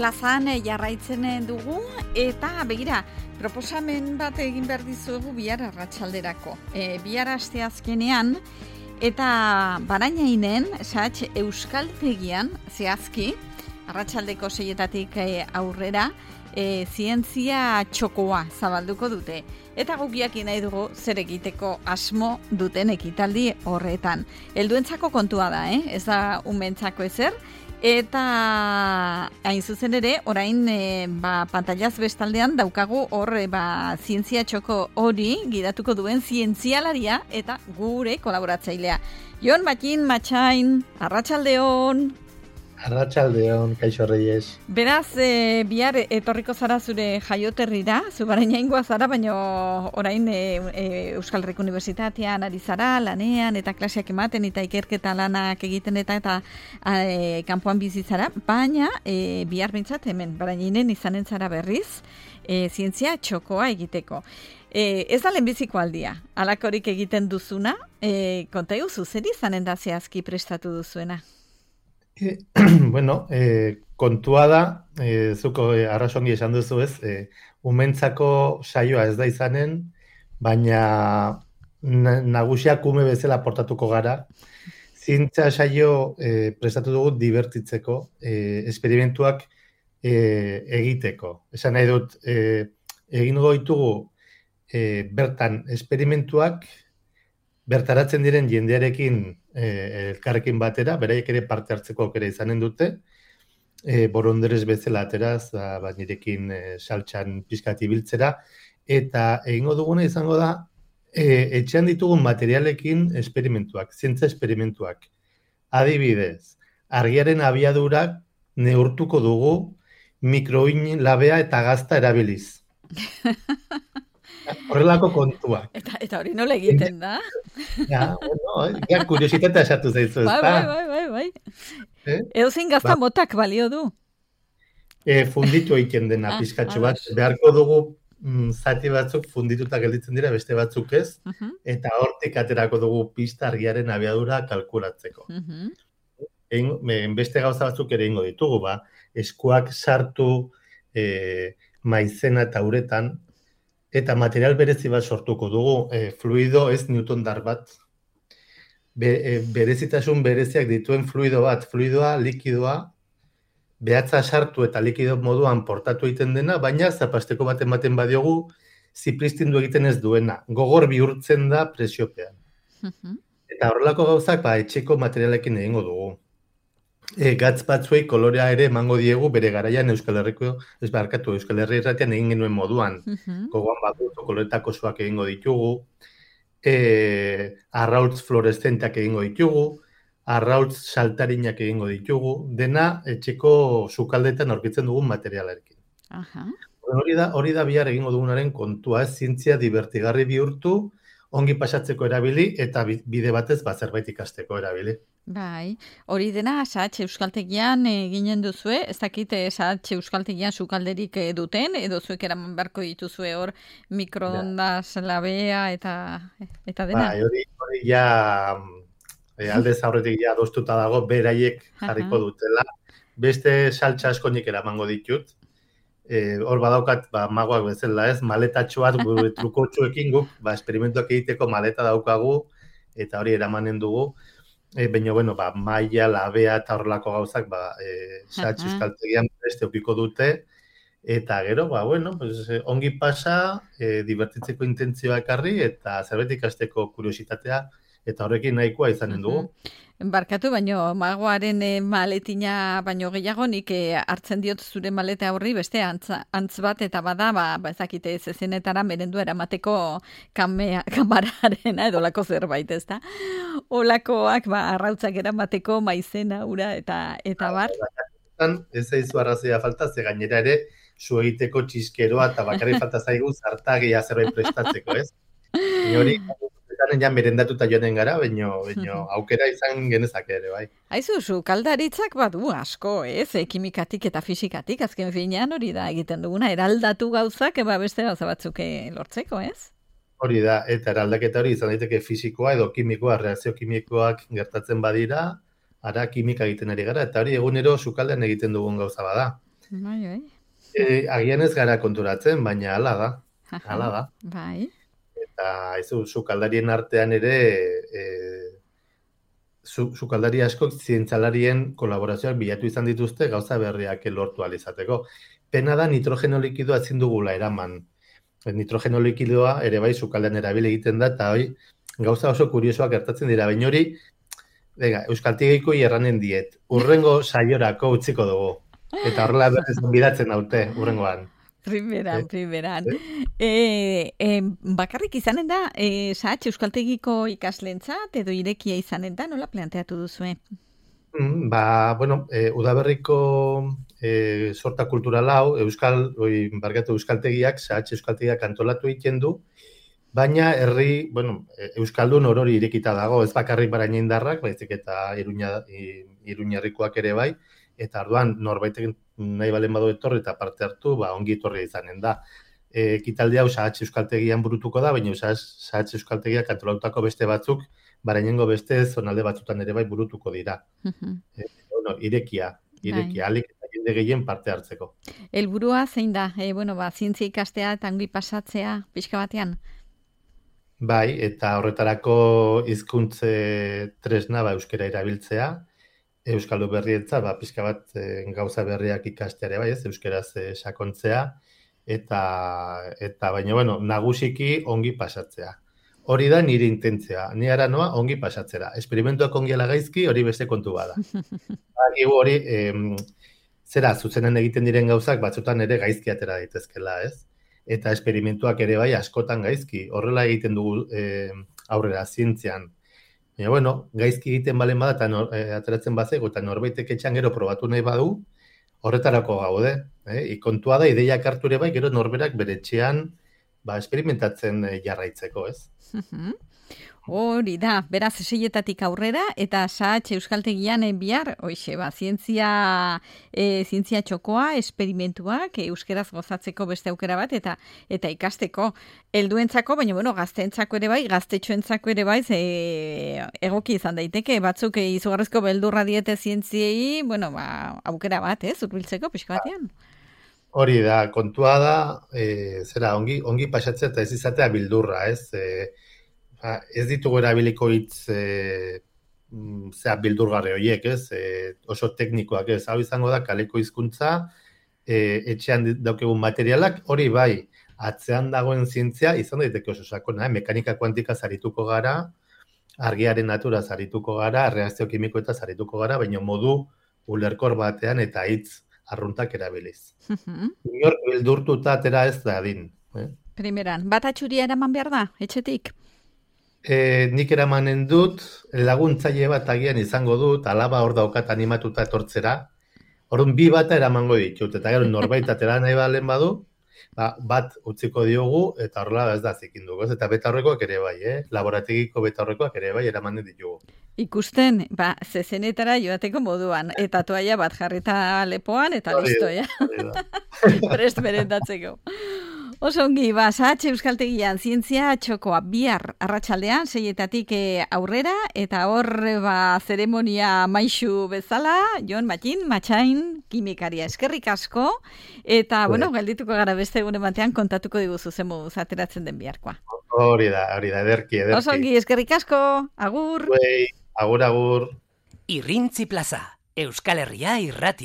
plazan jarraitzen dugu, eta begira, proposamen bat egin behar dizuegu bihar arratsalderako. Bihar asteazkenean, eta Barainainen, Euskaltegian, zehazki, arratsaldeko 6:00 aurrera, zientzia txokoa zabalduko dute. Eta gukiak nahi dugu zer egiteko asmo duten ekitaldi horretan. Helduentzako kontua da, ez da umentzako ezer. Eta hain zuzen ere, orain pantailaz bestaldean daukagu hor zientzia txoko hori gidatuko duen zientzialaria eta gure kolaboratzailea. Jon Matin Matxain, arratsaldeon. Arratsaldeon, kaixo Reyes. Beraz, bihar etorriko zara zure jaioterrira, zu Barainaingoa zara, baina orain Euskal Herriko Unibertsitatean ari zara, lanean eta klaseak ematen eta ikerketa lanak egiten eta kanpoan bizi zara, baina bihar behintzat hemen Barainainen izanen zara berriz, zientzia txokoa egiteko. Ez da lehenbiziko aldia, halakorik egiten duzuna, konta eguzu, zer izanen da zehazki prestatu duzuena? Bueno, kontua da, zuko arrasongi esan duzu ez, umentzako saioa ez da izanen, baina nagusiak ume bezala portatuko gara. Zientzia saio prestatu dugu divertitzeko, esperimentuak egiteko. Esan nahi dut, egingo ditugu bertan esperimentuak, bertaratzen diren jendearekin elkarrekin batera, beraiek ere parte hartzeko aukera izanen dute, boronderez bezala ateraz, nirekin saltxan pizkat ibiltzera, eta egingo duguna izango da, etxean ditugun materialekin esperimentuak, zientzia esperimentuak. Adibidez, argiaren abiadurak neurtuko dugu mikroin labea eta gazta erabiliz. Horrelako kontuak. Eta hori nola egiten da? Ja, bueno, kuriositatea esatu zaizu, ez da? Bai. Edozein gazta motak balio du? Funditu egiten dena pizkatxo bat. Beharko dugu zati batzuk fundituta gelditzen dira, beste batzuk ez, eta hortik aterako dugu pista argiaren abiadura kalkulatzeko. Beste gauza batzuk ere ingo ditugu, eskuak sartu maizena eta uretan, eta material berezi bat sortuko dugu, fluido ez Newtondar bat, berezitasun bereziak dituen fluido bat, fluidoa, likidoa, behatza sartu eta likido moduan portatu egiten dena, baina zapasteko bat ematen badiogu, zipristindu egiten ez duena, gogor bihurtzen da presiopean. Eta horrelako gauzak, etxeko materialekin egingo dugu. Gatz batzuei kolorea ere emango diegu bere garaian Euskal Herriko, Euskal Herri irratian egin genuen moduan. Gogoan baduzu koloretako soak egingo ditugu, arrautz fluoreszenteak egingo ditugu, arrautz saltarinak egingo ditugu, dena etxeko sukaldeetan aurkitzen dugun materialarekin. Hori da bihar egingo dugunaren kontua, zientzia divertigarri bihurtu, ongi pasatzeko erabili eta bide batez zerbait ikasteko erabili. Bai, hori dena SAH Euskaltegian ginen duzue, ez dakit SAH Euskaltegian sukalderik duten, edo zuek eraman beharko dituzue hor mikroondas labea eta dena? Bai, hori ja aldez aurretik ja adostuta dago, beraiek jarriko dutela. Beste saltsa asko nik eramango ditut. Hor badaukat, magoak bezala ez, maletatxo bat gure trukotxoekin guk, esperimentuak egiteko maleta daukagu, eta hori eramanen dugu. Baina, maila, labea eta horrelako gauzak, SAH Euskaltegian beste okiko dute, eta gero, ongi pasa, divertitzeko intentzioa ekarri, eta zerbait ikasteko kuriositatea, eta horrekin nahikoa izanen dugu. Barkatu, baino magoaren maletina baino gehiago nik hartzen diot zure maleta horri beste antz bat eta bada, ezakite zezenetara merendua eramateko kamararena edo lako zerbait, ez da? Olakoak arrautzak eramateko maizena, ura eta bar. Ez zaizu arrazoia falta, ze gainera ere zu egiteko txiskeroa eta bakarrik falta zaigu zartagia zerbait prestatzeko, ez? Hori ja merendatuta joanen gara, baino aukera izan genezake ere, bai. Aizu, sukaldaritzak badu asko, ez? Kimikatik eta fisikatik, azken finean hori da egiten duguna, eraldatu gauzak, beste gauza batzuk lortzeko, ez? Hori da, eta eraldaketa hori izan daiteke fisikoa edo kimikoa, reakzio kimikoak gertatzen badira, ara kimika egiten ari gara, eta hori egunero sukaldean egiten dugun gauza bada. Bai. Agian ez gara konturatzen, baina hala da. Hala da. Bai. Eta sukaldarien artean ere, sukaldari askok zientzialarien kolaborazioak bilatu izan dituzte gauza berriak lortu ahal izateko. Pena da nitrogeno likidoa ezin dugula eraman. Nitrogeno likidoa ere bai sukaldean erabili egiten da, eta hori gauza oso kuriosoak gertatzen dira. Baina hori, euskaltegiko erranen diet. Urrengo saiorako utziko dugu. Eta horrela berriz bidatzen daute, urrengoan. Primeran. Bakarrik izanen da, sahatxe euskaltegiko ikaslentzat edo irekia izanen da, nola planteatu duzue? Udaberriko sorta kultural hau, euskaltegiak, sahatxe euskaltegiak antolatu egiten du, baina euskaldun orori irekita dago, ez bakarrik Barañaindarrak, baizik eta Iruñerrikoak ere bai, eta orduan norbaitek nahi balen badu etorri eta parte hartu, ongi etorri izanen da. Ekitaldi hau sahatxe euskaltegian burutuko da, baina sahatxe euskaltegiak antolatutako beste batzuk, Barañaingo beste zonalde batzutan ere bai burutuko dira. Irekia, alik eta jende gehien parte hartzeko. Helburua zein da? Zientzia ikastea eta ongi pasatzea pixka batean? Bai, eta horretarako hizkuntze tresna euskara erabiltzea, euskaldu berrientza, pixka bat gauza berriak ikastea ere bai, ez, euskaraz sakontzea, eta baina, nagusiki ongi pasatzea. Hori da nire intentzia, ni ara noa ongi pasatzera. Esperimentuak ongi ala gaizki, hori beste kontu bada. Hori, zuzenen egiten diren gauzak batzutan ere gaizki atera daitezkela, ez? Eta esperimentuak ere bai askotan gaizki. Horrela egiten dugu aurrera zientzian. Baina, gaizki egiten balen bada eta ateratzen bazego eta norbaitek etxan gero probatu nahi badu, horretarako gaude. Kontua da, ideiak hartu ere bai, gero norberak bere etxean esperimentatzen jarraitzeko, ez? Hori da, beraz seietatik aurrera, eta sahatxe euskaltegian bihar, zientzia txokoa, esperimentuak, euskeraz gozatzeko beste aukera bat, eta ikasteko helduentzako, baina gazteentzako ere bai, gaztetxoentzako ere bai, egoki izan daiteke, batzuk izugarrizko beldurra diete zientziei, aukera bat, hurbiltzeko pixka batean. Hori da, kontua da, ongi pasatzea eta ez izatea bildurra, ez? Ez ditugu erabiliko hitz bildurgarri horiek, ez? Oso teknikoak, ez? Hau izango da, kaleko hizkuntza, etxean daukegun materialak, hori bai, atzean dagoen zientzia, izan daiteke oso sakona, mekanika kuantika zarituko gara, argiaren natura zarituko gara, reakzio kimikoeta zarituko gara, baina modu ulerkor batean eta hitz arruntak erabiliz. Inor bildurtuta atera ez da adin. Primeran, bat atxuria eraman behar da, etxetik? Nik eramanen dut, laguntzaile bat agian izango dut, alaba hor daukat animatuta etortzera. Orduan bi bata eramango ditut, eta gero norbait atera nahi balen badu, bat utziko diogu, eta horrela ez da zikin dugu. Eta betaurrekoak ere bai, laborategiko betaurrekoak ere bai eramanen ditugu. Ikusten, zezenetara joateko moduan, eta toaia bat jarrita lepoan, eta listo, prest berendatzeko. Oso ongi, sahatxe euskaltegian zientzia txokoa bihar arratsaldean 6etatik aurrera, eta hor zeremonia maixu bezala, Jon Matxain, kimikaria eskerrik asko, eta, geldituko gara beste egunen batean kontatuko diguzu zen moduz ateratzen den biharkoa. Hori da, ederki. Oso ongi, eskerrik asko, agur. Agur. Irrintzi Plaza, Euskal Herria irratia.